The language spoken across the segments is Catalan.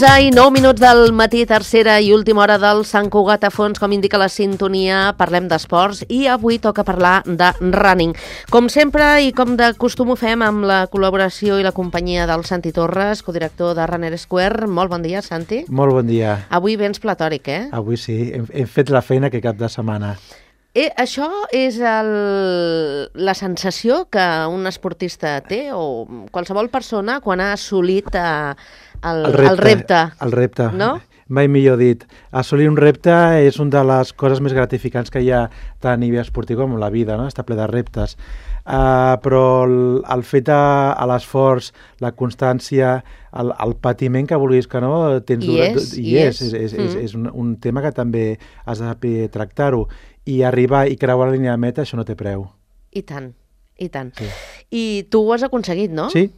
11:09 del matí, tercera i última hora del Sant Cugat a fons, com indica la sintonia. Parlem d'esports i avui toca parlar de running. Com sempre i com de costum ho fem amb la col·laboració i la companyia del Santi Torres, codirector de Runner Square. Molt bon dia, Santi. Molt bon dia. Avui vens platòric, eh? Avui sí, hem fet la feina que cap de setmana. Això és la sensació que un esportista té, o qualsevol persona quan ha assolit el repte. El repte, no? Mai millor dit. Assolir un repte és una de les coses més gratificants que hi ha tant a nivell esportiu com a la vida, no? Està ple de reptes. Però el fet de l'esforç, la constància, el patiment que vulguis que no, és un tema que també has de saber tractar-ho. I arribar i creuar la línia de meta, això no té preu. I tant, i tant. Sí. I tu ho has aconseguit, no? Sí.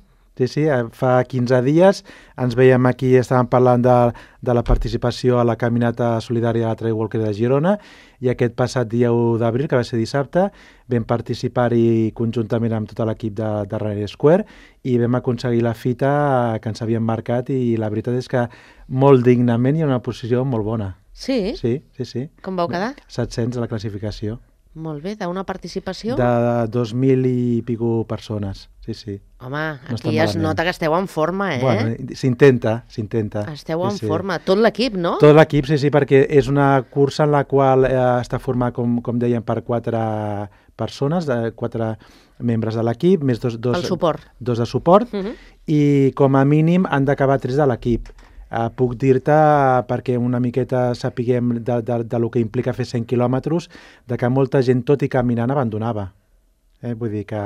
Fa 15 dies ens veiem aquí, estàvem parlant de la participació a la caminata solidària a la Trail Walker de Girona, i aquest passat dia 1 d'abril, que va ser dissabte, vam participar-hi conjuntament amb tot l'equip de Runner Square i vam aconseguir la fita que ens havíem marcat, i la veritat és que molt dignament i en una posició molt bona. Sí? Sí. Com vau quedar? 700 a la classificació. Molt bé, d'una participació? De 2.000 i pico persones, sí. Home, aquí ja es nota que esteu en forma, eh? Bueno, s'intenta. Esteu en forma, tot l'equip, no? Tot l'equip, sí, perquè és una cursa en la qual està format, com dèiem, per 4 persones, 4 membres de l'equip, més dos de suport, i com a mínim han d'acabar 3 de l'equip. Puc dir-te, perquè una miqueta sapiguem del que implica fer 100 quilòmetres, que molta gent, tot i caminant, abandonava. Vull dir que...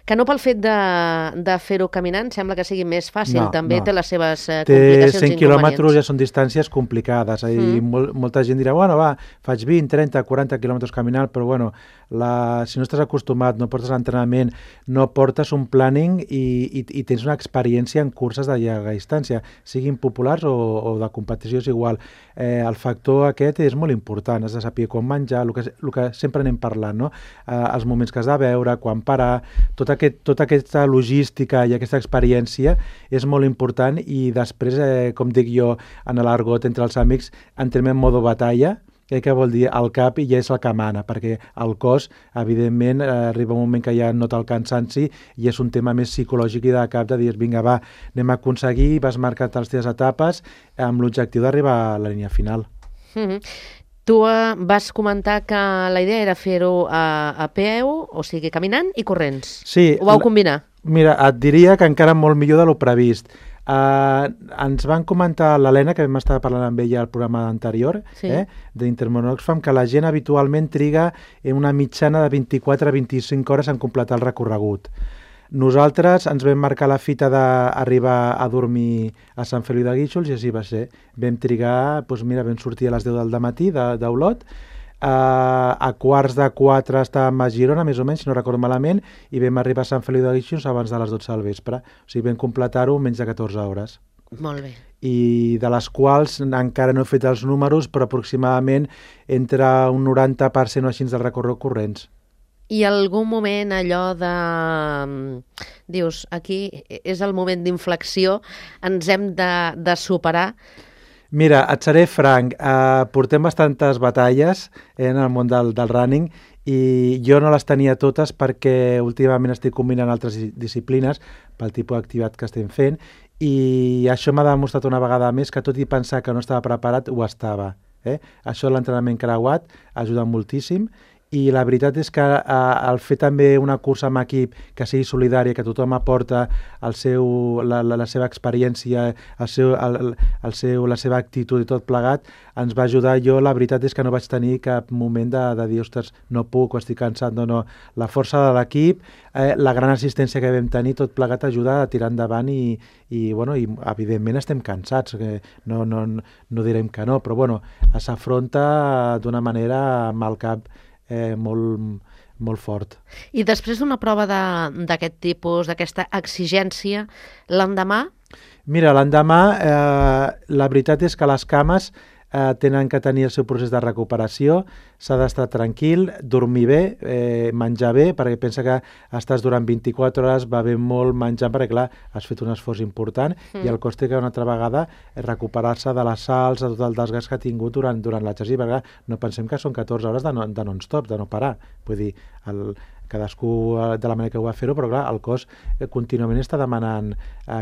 Que no pel fet de fer-ho caminant sembla que sigui més fàcil, també té les seves complicacions i inconvenients. 100 quilòmetres ja són distàncies complicades, i molta gent dirà, faig 20, 30, 40 quilòmetres caminant, però si no estàs acostumat, no portes l'entrenament, no portes un planning i tens una experiència en curses de llarga distància, siguin populars o de competició, és igual. El factor aquest és molt important, has de saber com menjar, el que sempre anem parlant, no? Els moments que has de veure, quan parar, tota aquesta logística i aquesta experiència és molt important, i després, com dic jo en l'argot entre els amics, entrem en modo batalla, que vol dir el cap ja és el que mana, perquè el cos, evidentment, arriba un moment que ja nota el cansanci i és un tema més psicològic i de cap, de dir, vinga, anem a aconseguir, vas marcar les teves etapes amb l'objectiu d'arribar a la línia final. Tu vas comentar que la idea era fer-ho a peu, o sigui, caminant i corrents. Sí. Ho vau combinar? Mira, et diria que encara molt millor de lo previst. Ens van comentar l'Helena, que vam estar parlant amb ella al programa anterior, d'Intermón Oxfam, que la gent habitualment triga una mitjana de 24 a 25 hores en completar el recorregut. Nosaltres ens vam marcar la fita d'arribar a dormir a Sant Feliu de Guíxols, i així va ser. Vam trigar, vam sortir a les 10 del matí d'Olot, a 3:45 estàvem a Girona, més o menys, si no recordo malament, i vam arribar a Sant Feliu de Guíxols abans de les 12 del vespre. O sigui, vam completar-ho menys de 14 hores. Molt bé. I de les quals encara no he fet els números, però aproximadament entre un 90% o així del recorregut corrents. I algun moment allò de... Dius, aquí és el moment d'inflexió, ens hem de superar. Mira, et seré franc, portem bastantes batalles en el món del running, i jo no les tenia totes perquè últimament estic combinant altres disciplines pel tipus d'activitat que estem fent, i això m'ha demostrat una vegada més que, tot i pensar que no estava preparat, ho estava. Això, l'entrenament creuat, ajuda moltíssim. I la veritat és que el fer també una cursa amb equip que sigui solidària, que tothom aporta la seva experiència, la seva actitud i tot plegat, ens va ajudar. Jo la veritat és que no vaig tenir cap moment de dir, ostres, no puc, o estic cansat, no. La força de l'equip, la gran assistència que vam tenir, tot plegat ajuda a tirar endavant, i evidentment estem cansats, no direm que no, però s'afronta d'una manera amb el cap molt fort. I després d'una prova d'aquest tipus, d'aquesta exigència, l'endemà? Mira, l'endemà la veritat és que les cames tenen que tenir el seu procés de recuperació, s'ha d'estar tranquil, dormir bé, menjar bé, perquè pensa que estàs durant 24 hores bevent molt, menjant, perquè clar, has fet un esforç important i el cos té que una altra vegada recuperar-se de les salts, de tot el desgast que ha tingut durant l'exercici, perquè no pensem que són 14 hores de non-stop, de no parar. Vull dir, cadascú de la manera que ho va fer-ho, però clar, el cos contínuament està demanant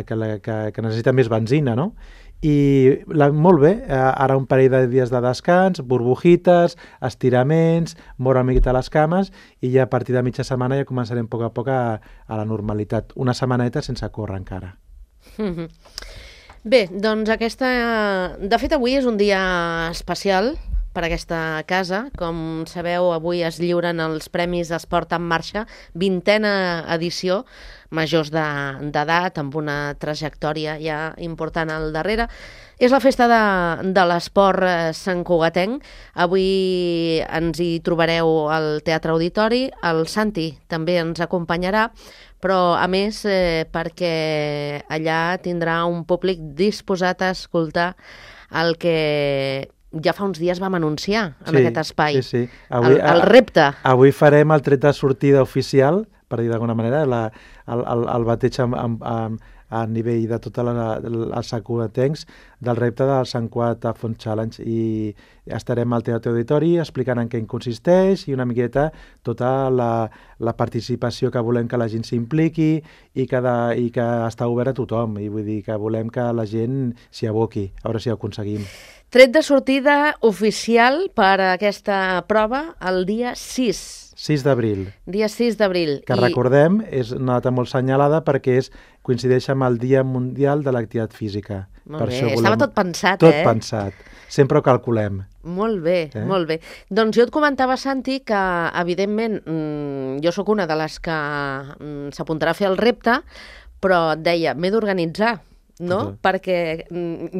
que necessita més benzina, no? I molt bé, ara un parell de dies de descans, burbujites, estiraments, moure una miqueta les cames i ja a partir de mitja setmana ja començarem a poc a la normalitat. Una setmaneta sense córrer encara. Bé, doncs de fet avui és un dia especial per aquesta casa. Com sabeu, avui es lliuren els Premis Esport en Marxa, 20a edició, majors d'edat, amb una trajectòria ja important al darrere. És la festa de l'esport santcugatenc. Avui ens hi trobareu al Teatre Auditori. El Santi també ens acompanyarà, però a més perquè allà tindrà un públic disposat a escoltar el que ja fa uns dies vam anunciar en aquest espai. Sí. Avui, el repte. Avui farem el tret de sortida oficial, per dir d'alguna manera, el bateig a nivell de tots els santcugatencs del repte del Sant Cugat a Font Challenge, i estarem al Teatre Auditori explicant en què consisteix i una miqueta tota la participació que volem que la gent s'impliqui i que està obert a tothom, i vull dir que volem que la gent s'hi aboqui, a veure si ho aconseguim. Tret de sortida oficial per a aquesta prova el dia 6 d'abril. Dia 6 d'abril. Que recordem, és una data molt senyalada perquè coincideix amb el Dia Mundial de l'Activitat Física. Molt bé, estava tot pensat, Tot pensat. Sempre ho calculem. Molt bé, molt bé. Doncs jo et comentava, Santi, que evidentment jo sóc una de les que s'apuntarà a fer el repte, però et deia, m'he d'organitzar, no? Perquè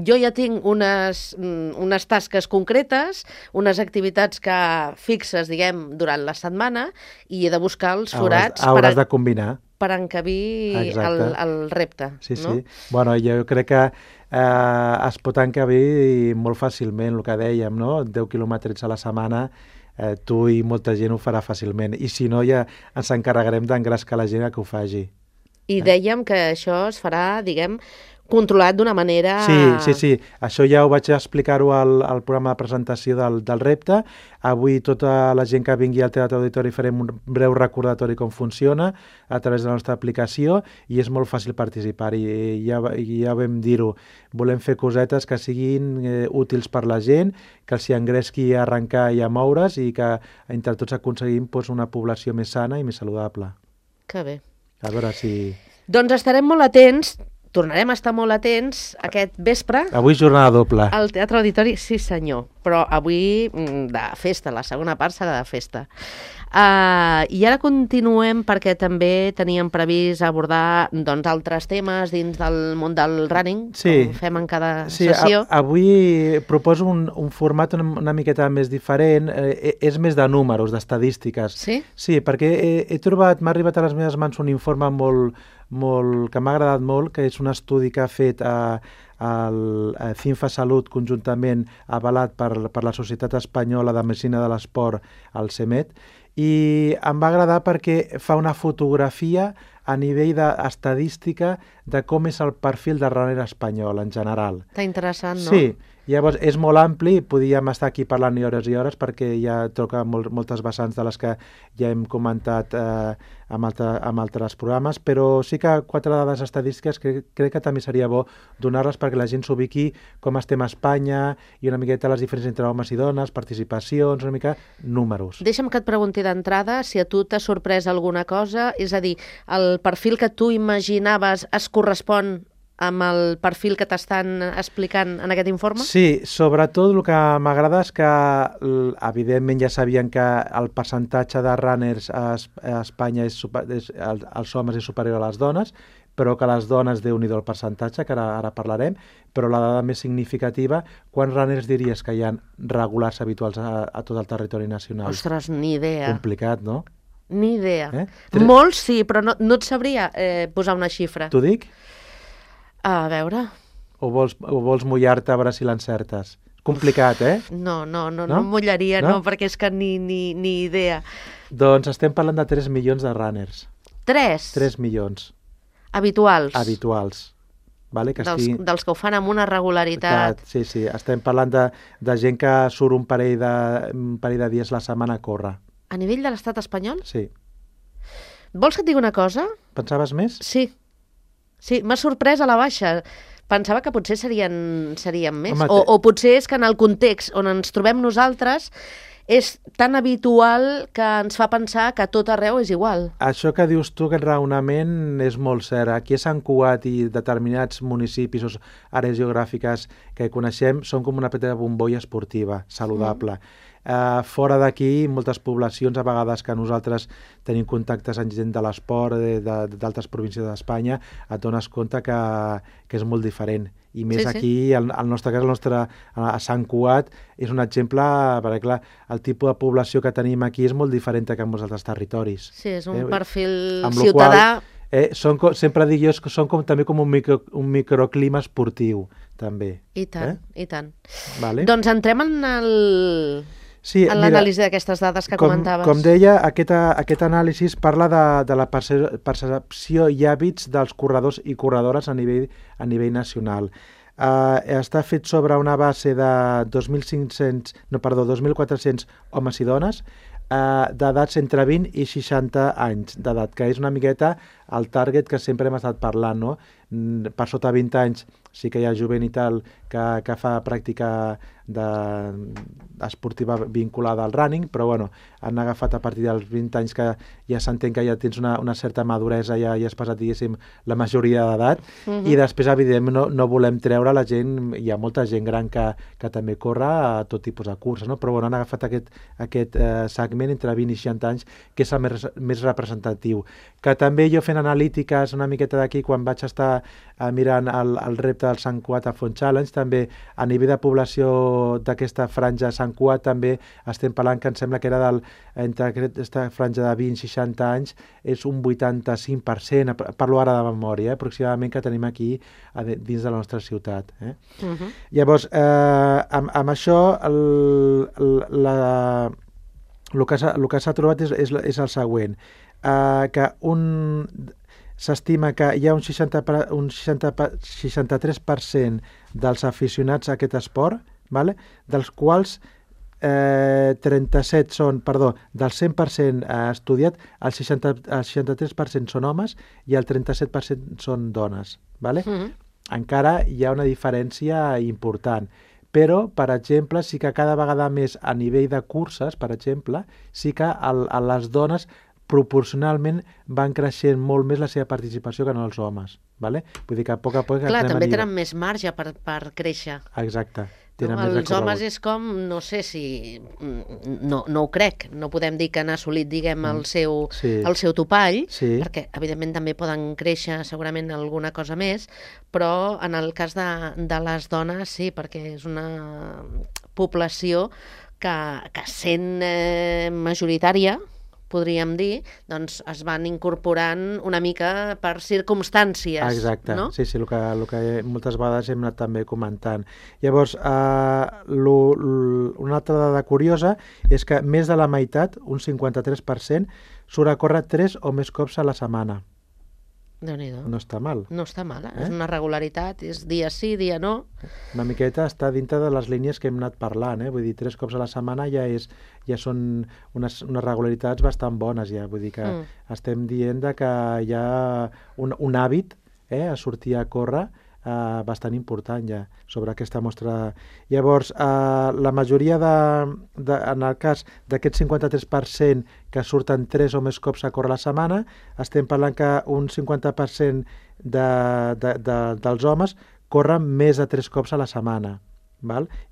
jo ja tinc unes tasques concretes, unes activitats que fixes, diguem, durant la setmana, i he de buscar els forats hauràs de combinar per encabir el repte. Sí. No? Bueno, jo crec que es pot encabir molt fàcilment, el que dèiem, no? 10 quilòmetres a la setmana, tu i molta gent ho farà fàcilment, i si no ja ens encarregarem d'engrescar la gent que ho faci. I dèiem que això es farà, diguem, controlat d'una manera... Sí. Això ja ho vaig explicar-ho al programa de presentació del repte. Avui tota la gent que vingui al Teatre Auditori farem un breu recordatori com funciona a través de la nostra aplicació, i és molt fàcil participar, i ja vam dir-ho. Volem fer cosetes que siguin útils per la gent, que els hi engresqui a arrencar i a moure's, i que entre tots aconseguim una població més sana i més saludable. Que bé. A veure si... Doncs estarem molt atents, tornarem a estar molt atents aquest vespre. Avui jornada doble. Al Teatre Auditori, sí senyor, però avui de festa, la segona part serà de festa. I ara continuem perquè també teníem previst abordar altres temes dins del món del running, com fem en cada sessió. Avui proposo un format una miqueta més diferent, és més de números, d'estadístiques. Sí? Sí, perquè m'ha arribat a les meves mans un informe que m'ha agradat molt, que és un estudi que ha fet el CINFA Salut conjuntament avalat per la Societat Espanyola de Medicina de l'Esport, el CEMET, i em va agradar perquè fa una fotografia a nivell d'estadística de com és el perfil de runner espanyol en general. Està interessant, no? Sí, llavors és molt ampli, podíem estar aquí parlant hores i hores perquè ja toca moltes vessants de les que ja hem comentat amb altres programes, però sí que 4 dades estadístiques que crec que també seria bo donar-les perquè la gent s'ubiqui com estem a Espanya i una miqueta les diferències entre homes i dones, participacions, una mica números. Deixa'm que et pregunti d'entrada si a tu t'ha sorprès alguna cosa, és a dir, el perfil que tu imaginaves es correspon amb el perfil que t'estan explicant en aquest informe? Sí, sobretot el que m'agrada és que, evidentment, ja sabien que el percentatge de runners a Espanya als homes és superior a les dones, però que les dones, Déu-n'hi-do el percentatge, que ara parlarem, però la dada més significativa, quants runners diries que hi ha regulars habituals a tot el territori nacional? Ostres, ni idea. Complicat, no? Ni idea. Molts sí, però no et sabria posar una xifra. T'ho dic? A veure... O vols mullar-te a veure si l'encertes? Complicat, eh? No em mullaria, no, perquè és que ni idea. Doncs estem parlant de 3 milions de runners. 3? 3 milions. Habituals? Habituals. Vale? Dels que ho fan amb una regularitat. Sí, estem parlant de gent que surt un parell de dies la setmana a córrer. A nivell de l'estat espanyol? Sí. Vols que et digui una cosa? Pensaves més? Sí, m'ha sorprès a la baixa. Pensava que potser serien més. Home, o potser és que en el context on ens trobem nosaltres és tan habitual que ens fa pensar que a tot arreu és igual. Això que dius tu, aquest raonament, és molt cert. Aquí a Sant Cugat i determinats municipis o àrees geogràfiques que coneixem són com una petita bombolla esportiva, saludable. Fora d'aquí, moltes poblacions, a vegades que nosaltres tenim contactes amb gent de l'esport d'altres províncies d'Espanya, et dones compte que és molt diferent. I més aquí, el nostre cas, a Sant Cugat, és un exemple, perquè clar, el tipus de població que tenim aquí és molt diferent que en molts altres territoris. Sí, és un perfil ciutadà. Sempre dic jo que són també com un microclima esportiu, també. I tant, i tant. Vale. Doncs entrem en l'anàlisi d'aquestes dades que comentaves. Com deia, aquest anàlisi parla de la percepció i hàbits dels corredors i corredores a nivell nacional. Està fet sobre una base de 2.400 homes i dones d'edats entre 20 i 60 anys d'edat, que és una miqueta el target que sempre hem estat parlant, no? Per sota 20 anys sí que hi ha jovent i tal que fa pràctica esportiva vinculada al running, però bueno, han agafat a partir dels 20 anys que ja s'entén que ja tens una certa maduresa, ja has passat, diguéssim, la majoria d'edat, i després, evidentment, no volem treure la gent, hi ha molta gent gran que també corre a tot tipus de curses, no? Però bueno, han agafat aquest segment entre 20 i 60 anys, que és el més representatiu. Que també jo fent analítiques una miqueta d'aquí, quan vaig estar mirant el repte del Sant Cugat a Font Challenge, també a nivell de població d'aquesta franja Sant Cugat també estem parlant que em sembla que era entre aquesta franja de 20-60 anys és un 85%, parlo ara de memòria, aproximadament, que tenim aquí dins de la nostra ciutat. Llavors, amb això el que s'ha trobat és el següent, que s'estima que hi ha un 63% dels aficionats a aquest esport, dels quals 37 són, del 100% estudiat, el 63% són homes i el 37% són dones. Encara hi ha una diferència important. Però, per exemple, sí que cada vegada més a nivell de curses, per exemple, sí que les dones proporcionalment van creixent molt més la seva participació que no els homes. Vull dir que a poc a poc... Clar, també tenen més marge per créixer. Exacte. Els homes és com, no sé si... No ho crec. No podem dir que han assolit, diguem, el seu topall, perquè, evidentment, també poden créixer segurament alguna cosa més, però en el cas de les dones, sí, perquè és una població que sent majoritària, podríem dir, doncs es van incorporant una mica per circumstàncies. Exacte, no? Sí, el que moltes vegades hem anat també comentant. Llavors, una altra dada curiosa és que més de la meitat, un 53%, surt a córrer 3 o més cops a la setmana. Déu-n'hi-do. No està mal. No està mal, és una regularitat, és dia sí, dia no. Una miqueta està dintre de les línies que hem anat parlant, vull dir, 3 cops a la setmana ja són unes regularitats bastant bones, ja, vull dir que estem dient que hi ha un hàbit a sortir a córrer bastant important ja sobre aquesta mostra. Llavors, la majoria en el cas d'aquest 53% que surten 3 o més cops a córrer a la setmana, estem parlant que un 50% dels homes corren més de 3 cops a la setmana,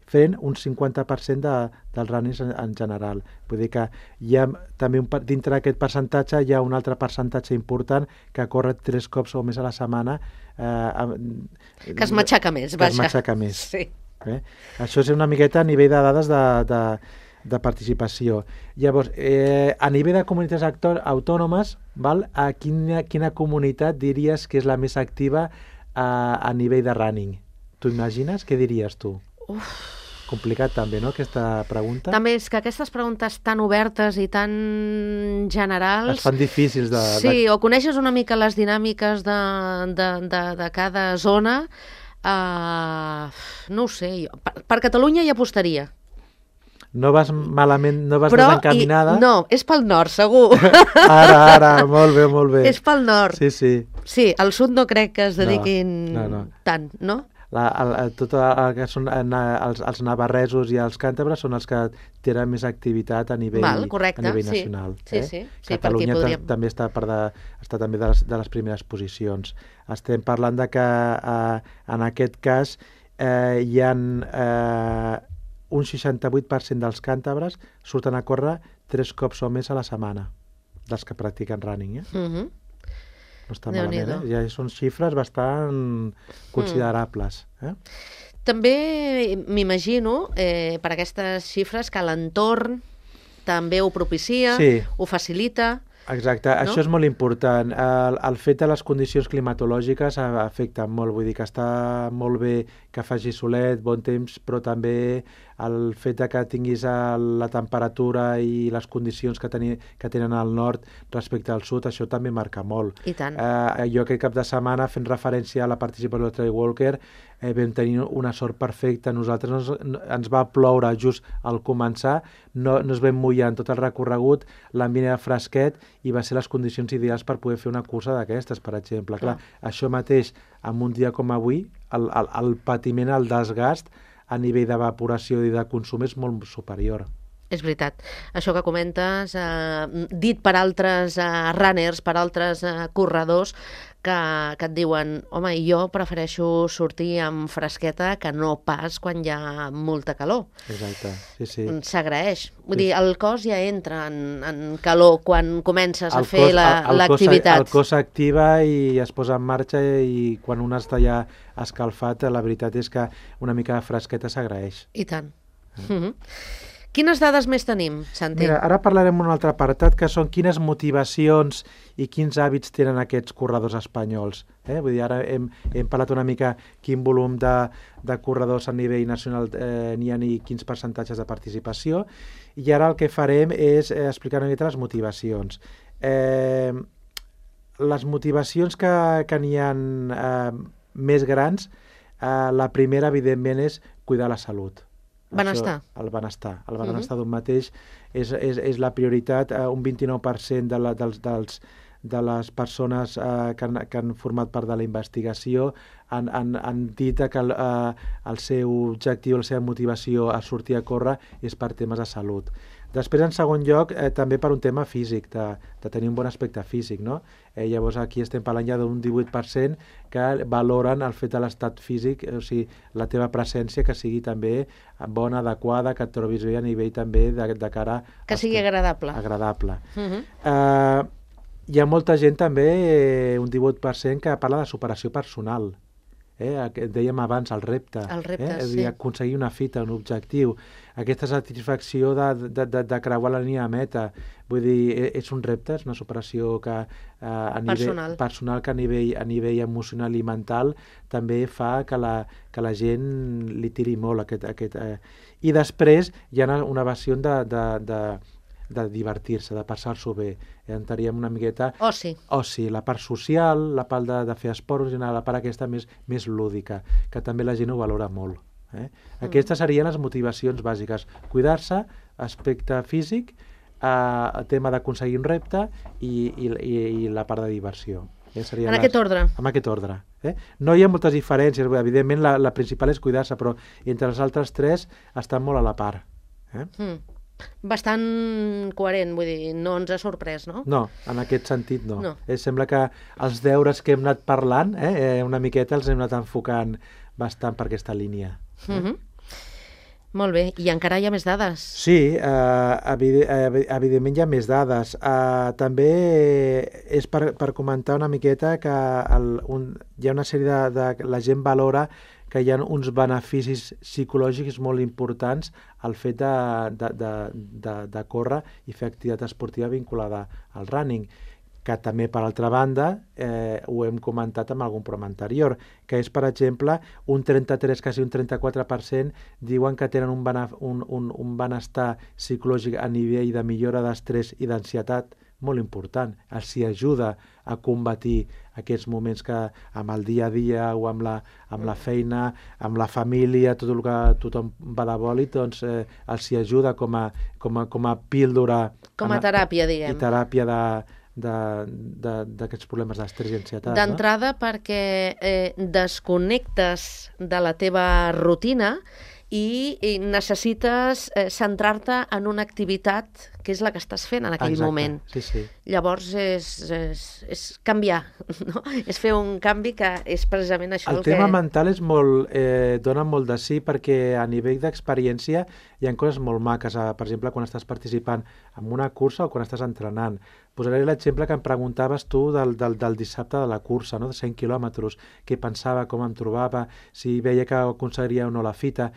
fent un 50% dels runners en general. Vull dir que hi ha també dintre d'aquest percentatge hi ha un altre percentatge important que corre 3 cops o més a la setmana, que es matxaca més, vaja. Que es matxaca més. Sí. Això és una miqueta a nivell de dades de participació. Llavors, a nivell de comunitats autònomes, a quina comunitat diries que és la més activa a nivell de running? T'ho imagines? Què diries tu? Complicat també, no?, aquesta pregunta. També és que aquestes preguntes tan obertes i tan generals... Es fan difícils de... Sí, o coneixes una mica les dinàmiques de cada zona. No ho sé, jo. Per Catalunya hi apostaria. No vas malament, no vas desencaminada? No, és pel nord, segur. Ara, molt bé. És pel nord. Sí. Sí, al sud no crec que es dediquin tant, no? Tot el que són els navarresos i els càntabres són els que tenen més activitat a nivell nacional. Sí. Catalunya també està també de les primeres posicions. Estem parlant de que en aquest cas hi ha un 68% dels càntabres surten a córrer 3 cops o més a la setmana, dels que practiquen running. No està malament, ja són xifres bastant considerables. També m'imagino, per aquestes xifres, que l'entorn també ho propicia, ho facilita... Exacte, això és molt important. El fet de les condicions climatològiques afecten molt, vull dir que està molt bé que faci solet, bon temps, però també el fet que tinguis la temperatura i les condicions que tenen al nord respecte al sud, això també marca molt. I tant. Jo aquest cap de setmana, fent referència a la participació del Trail Walker, vam tenir una sort perfecta. Nosaltres ens va ploure just al començar, no es vam mullar en tot el recorregut, l'ambient era fresquet i va ser les condicions ideals per poder fer una cursa d'aquestes, per exemple. Clar, això mateix, en un dia com avui, el patiment, el desgast a nivell d'evaporació i de consum és molt superior. És veritat. Això que comentes, dit per altres runners, per altres corredors, que et diuen, home, jo prefereixo sortir amb fresqueta que no pas quan hi ha molta calor. Exacte, sí. S'agraeix. Vull dir, el cos ja entra en calor quan comences a fer l'activitat. El cos s'activa i es posa en marxa i quan un està ja escalfat, la veritat és que una mica de fresqueta s'agraeix. I tant. Quines dades més tenim, Santi? Mira, ara parlarem d'un altre apartat, que són quines motivacions i quins hàbits tenen aquests corredors espanyols. Vull dir, ara hem parlat una mica quin volum de corredors a nivell nacional n'hi ha i quins percentatges de participació, i ara el que farem és explicar una mica les motivacions. Les motivacions que n'hi ha més grans, la primera, evidentment, és cuidar la salut. Benestar. El benestar d'un mateix és la prioritat. Un 29% de les persones que han format part de la investigació han dit que el seu objectiu, la seva motivació a sortir a córrer és per temes de salut. Després, en segon lloc, també per un tema físic, de tenir un bon aspecte físic, no? Llavors, aquí estem parlant ja d'un 18% que valoren el fet de l'estat físic, o sigui, la teva presència que sigui també bona, adequada, que et trobis bé a nivell també de cara... Que sigui agradable. Agradable. Hi ha molta gent també, un 18%, que parla de superació personal. Dèiem abans, el repte. El repte, sí. Aconseguir una fita, un objectiu. Aquesta satisfacció de creuar la línia de meta. Vull dir, és un repte, és una superació que a nivell personal, que a nivell emocional i mental també fa que la gent li tiri molt. I després hi ha una versió de divertir-se, de passar-s'ho bé. Entraríem una miqueta... Oci, la part social, la part de fer esport, la part aquesta més lúdica, que també la gent ho valora molt. Aquestes serien les motivacions bàsiques. Cuidar-se, aspecte físic, el tema d'aconseguir un repte i la part de diversió. En aquest ordre. En aquest ordre. No hi ha moltes diferències. Evidentment, la principal és cuidar-se, però entre els altres tres estan molt a la part. Bastant coherent, vull dir, no ens ha sorprès, no? No, en aquest sentit no. Sembla que els deures que hem anat parlant, una miqueta els hem anat enfocant bastant per aquesta línia. Molt bé, i encara hi ha més dades? Sí, evidentment hi ha més dades. També és per comentar una miqueta que hi ha una sèrie de... La gent valora que hi ha uns beneficis psicològics molt importants al fet de córrer i fer activitat esportiva vinculada al running. que també, per altra banda, ho hem comentat en algun programa anterior, que és, per exemple, un 33, quasi un 34% diuen que tenen un benestar psicològic a nivell de millora d'estrès i d'ansietat molt important. Els hi ajuda a combatir aquests moments que amb el dia a dia o amb la feina, amb la família, tot el que tothom va de bòlit, doncs els hi ajuda com a píldora. Com a teràpia, diguem. I teràpia d'aquests problemes d'estrès i ansietat. D'entrada, perquè desconnectes de la teva rutina i necessites centrar-te en una activitat que és la que estàs fent en aquell moment. Sí. Llavors és canviar, no? És fer un canvi que és precisament això el tema mental és molt, dona molt de sí, perquè a nivell d'experiència hi ha coses molt maques, per exemple, quan estàs participant en una cursa o quan estàs entrenant. Posaré l'exemple que em preguntaves tu del dissabte de la cursa, no? De 100 quilòmetres, què pensava, com em trobava, si veia que aconseguiria o no la fita.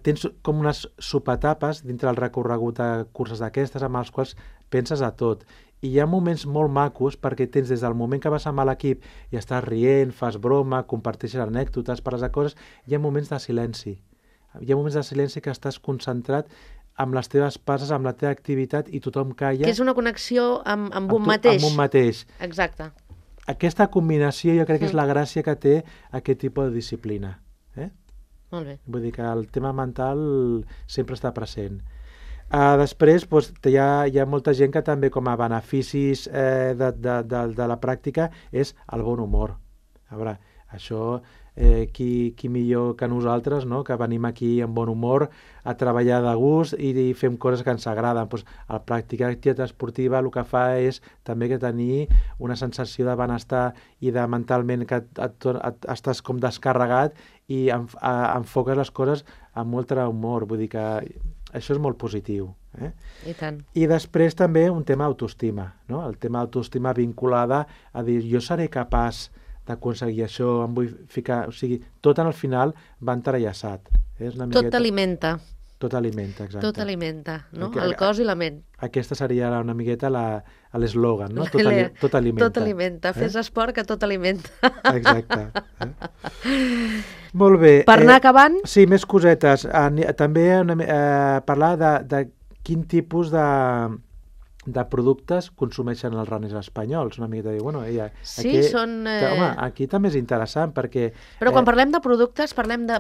Tens com unes subetapes dintre el recorregut de curses d'aquestes amb els quals penses a tot. I hi ha moments molt macos perquè tens des del moment que vas amb l'equip i estàs rient, fas broma, comparteixes anècdotes, parles de coses, hi ha moments de silenci. Hi ha moments de silenci que estàs concentrat amb les teves passes, amb la teva activitat i tothom calla. Que és una connexió amb un mateix. Amb un mateix. Exacte. Aquesta combinació jo crec que és la gràcia que té aquest tipus de disciplina. Molt bé. Vull dir que el tema mental sempre està present. Després hi ha molta gent que també com a beneficis de la pràctica és el bon humor. A veure, això qui millor que nosaltres, no? Que venim aquí amb bon humor a treballar de gust i fem coses que ens agraden. Pues, el practicar activitat esportiva el que fa és també que tenir una sensació de benestar i de mentalment que estàs com descarregat i enfoques les coses amb molt humor. Vull dir que això és molt positiu. I tant. I després també un tema d'autoestima, no? El tema d'autoestima vinculada a dir jo seré capaç d'aconseguir això, em vull ficar... O sigui, tot en el final va entrellaçat. Tot t'alimenta. Tot alimenta, exacte. Tot alimenta, no? El cos i la ment. Aquesta seria una miqueta l'eslògan, no? Tot alimenta. Tot alimenta. Fes esport que tot alimenta. Exacte. Molt bé. Per anar acabant? Sí, més cosetes. També parlar de quin tipus de productes consumeixen els runners espanyols. Una miqueta de dir, bueno, home, aquí també és interessant perquè... Però quan parlem de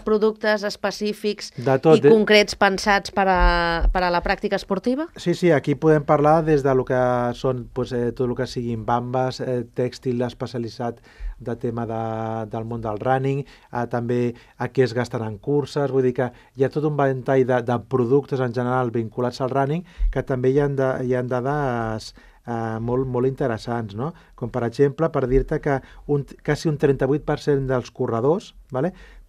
productes específics i concrets pensats per a la pràctica esportiva? Sí, aquí podem parlar des de lo que són tot el que siguin bambes, tèxtil especialitzat de tema del món del running, també a què es gasten en curses, vull dir que hi ha tot un ventall de productes en general vinculats al running que també hi ha dades molt interessants, no? Com per exemple, per dir-te que quasi un 38% dels corredors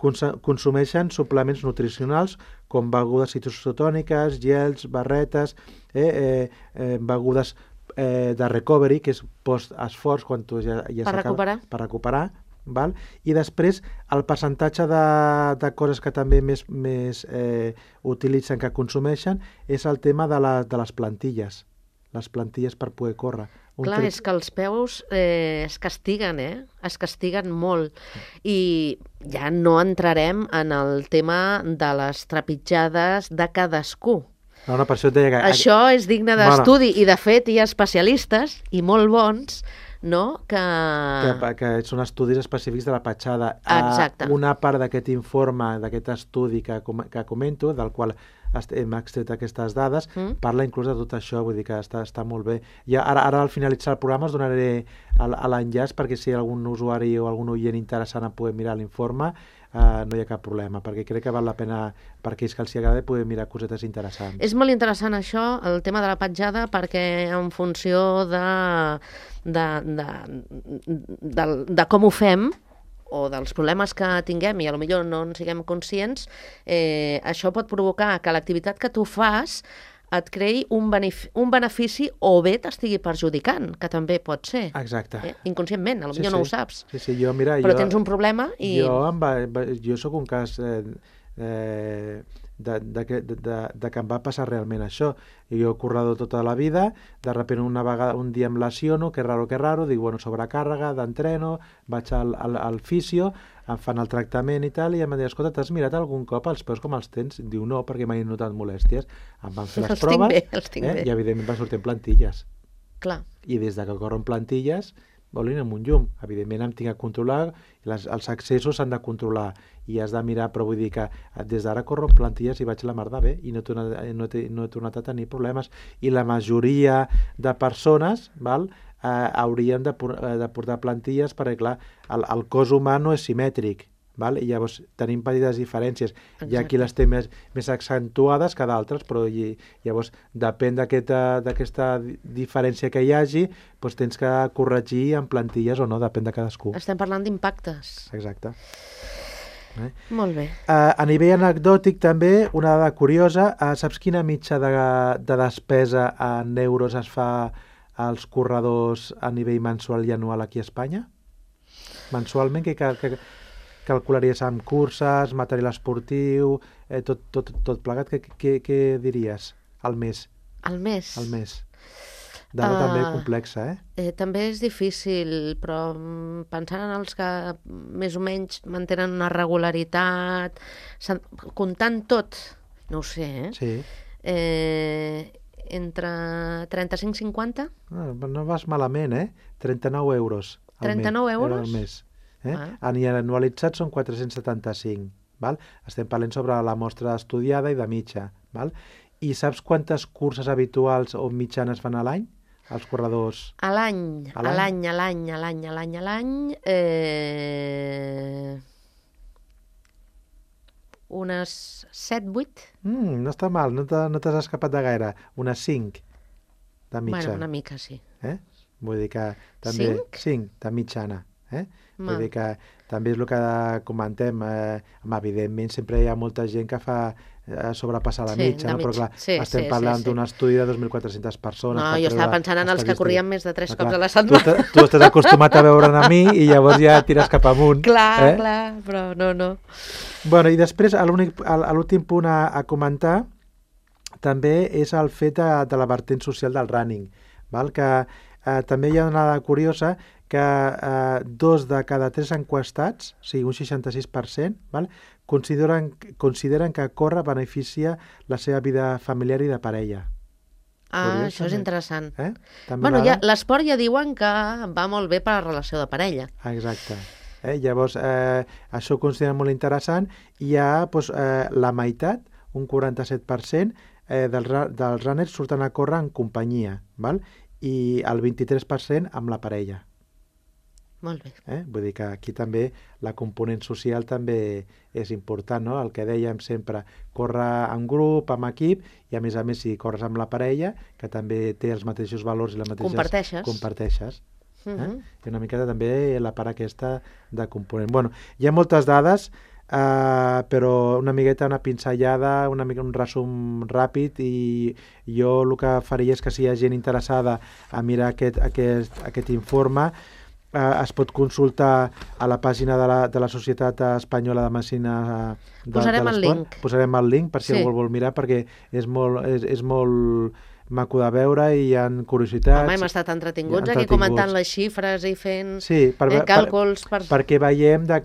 consumeixen suplements nutricionals com begudes citocetòniques, gels, barretes, begudes de recovery, que és post-esforç, quan tu ja per recuperar. Val? I després el percentatge de coses que també més utilitzen, que consumeixen, és el tema de les plantilles. Les plantilles per poder córrer. Clar, és que els peus es castiguen, Es castiguen molt. I ja no entrarem en el tema de les trepitjades de cadascú. No, per això et deia que... Això és digne d'estudi i, de fet, hi ha especialistes, i molt bons, no? Que són estudis específics de la petjada. Exacte. Una part d'aquest informe, d'aquest estudi que comento, del qual hem extret aquestes dades, parla inclús de tot això, vull dir que està molt bé. I ara al finalitzar el programa us donaré l'enllaç perquè si hi ha algun usuari o algun oient interessant en poder mirar l'informe, no hi ha cap problema, perquè crec que val la pena per aquells que els agrada poder mirar cosetes interessants. És molt interessant això, el tema de la petjada, perquè en funció de com ho fem, o dels problemes que tinguem i potser no en siguem conscients, això pot provocar que l'activitat que tu fas et creï un benefici o bé t'estigui perjudicant, que també pot ser. Exacte. Inconscientment, potser no ho saps. Sí, però tens un problema i... Jo soc un cas que em va passar realment això. Jo he corredor tota la vida, de sobte un dia em lesiono, que raro, dic, bueno, sobrecàrrega d'entreno, vaig al fisio, em fan el tractament i tal, i em van dir, escolta, t'has mirat algun cop els peus com els tens? Diu, no, perquè mai he notat molèsties. Em van fer les proves i evidentment van sortir en plantilles. Clar. I des que corro en plantilles volin amb un llum. Evidentment em tinc que controlar, els accessos s'han de controlar i has de mirar, però vull dir que des d'ara corro en plantilles i vaig la mar de bé i no he tornat a tenir problemes. I la majoria de persones haurien de portar plantilles perquè, clar, el cos humà no és simètric. I llavors tenim petites diferències. Hi ha qui les té més accentuades que d'altres, però llavors depèn d'aquesta diferència que hi hagi, doncs tens que corregir en plantilles o no, depèn de cadascú. Estem parlant d'impactes. Exacte. Molt bé. A nivell anecdòtic també, una dada curiosa, saps quina mitja de despesa en euros es fa als corredors a nivell mensual i anual aquí a Espanya? Mensualment, que calcularies amb curses, material esportiu, tot plegat, què diries al mes? Al mes? Al mes. Dada també complexa, També és difícil, però pensant en els que més o menys mantenen una regularitat, comptant tot, no ho sé, Sí. Entre 35 i 50? No vas malament, 39 euros al mes. 39 euros? Al mes. Anualitzats són 475. Estem parlant sobre la mostra estudiada i de mitja. I saps quantes curses habituals o mitjanes fan a l'any? Els corredors? A l'any. Unes 7-8? No està mal, no t'has escapat de gaire. Unes 5 de mitja. Bueno, una mica sí. Vull dir que també... 5 de mitjana. Vull dir que també és el que comentem. Evidentment, sempre hi ha molta gent que fa sobrepassar la mitja, però clar, estem parlant d'un estudi de 2.400 persones. No, jo estava pensant en els que corrien més de 3 cops a la setmana. Tu estàs acostumat a veure'n a mi i llavors ja tires cap amunt. Clar, però no. Bueno, i després, l'últim punt a comentar també és el fet de la vertent social del running, que també hi ha una dada curiosa que 2 de cada 3 enquestats, o sigui, un 66%, consideren que córrer beneficia la seva vida familiar i de parella. Curiós, això és interessant. Bueno, l'esport ja diuen que va molt bé per a la relació de parella. Exacte. Llavors, això ho consideren molt interessant i hi ha la meitat, un 47%, dels runners surten a córrer en companyia, i el 23% amb la parella. Molt bé. Vull dir que aquí també la component social també és important, no? El que dèiem sempre, córrer en grup, amb equip, i a més, si corres amb la parella, que també té els mateixos valors i les mateixes... Comparteixes. I una miqueta també la part aquesta de component. Bueno, hi ha moltes dades, però una miqueta una pinzellada, un resum ràpid, i jo el que faria és que si hi ha gent interessada a mirar aquest informe, es pot consultar a la pàgina de la Societat Espanyola de Medicina Posarem el link. Posarem el link per si algú vol mirar, perquè és molt maco de veure i hi ha curiositats. Home, hem estat entretinguts aquí comentant les xifres i fent càlculs. Perquè veiem de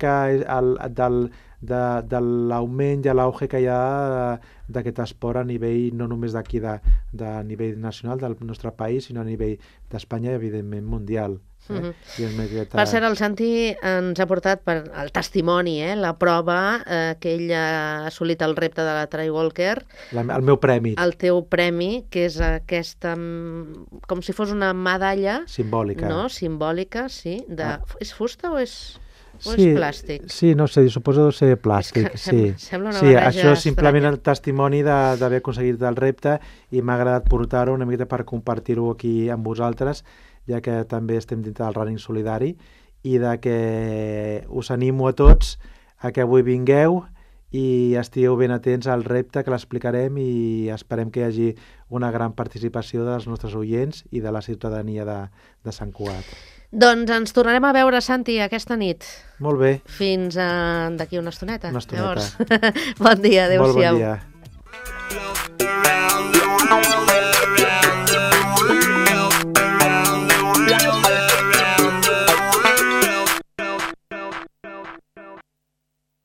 l'augment i l'auge que hi ha d'aquest esport a nivell no només d'aquí de nivell nacional del nostre país, sinó a nivell d'Espanya i evidentment mundial. Per cert, el Santi ens ha portat el testimoni, la prova que ell ha assolit el repte de la Trail Walker. El meu premi. El teu premi, que és aquesta, com si fos una medalla simbòlica. No? Simbòlica, sí. És fusta o és plàstic? Sí, no sé, suposo ser plàstic. Sembla una barreja això és simplement el testimoni d'haver aconseguit el repte, i m'ha agradat portar-ho una miqueta per compartir-ho aquí amb vosaltres, ja que també estem dintre del running solidari, i de que us animo a tots a que avui vingueu i estigueu ben atents al repte, que l'explicarem, i esperem que hi hagi una gran participació dels nostres oients i de la ciutadania de Sant Cugat. Doncs ens tornarem a veure, Santi, aquesta nit. Molt bé. Fins d'aquí una estoneta. Una estoneta. Llavors, bon dia, adéu-siau. Molt bon dia.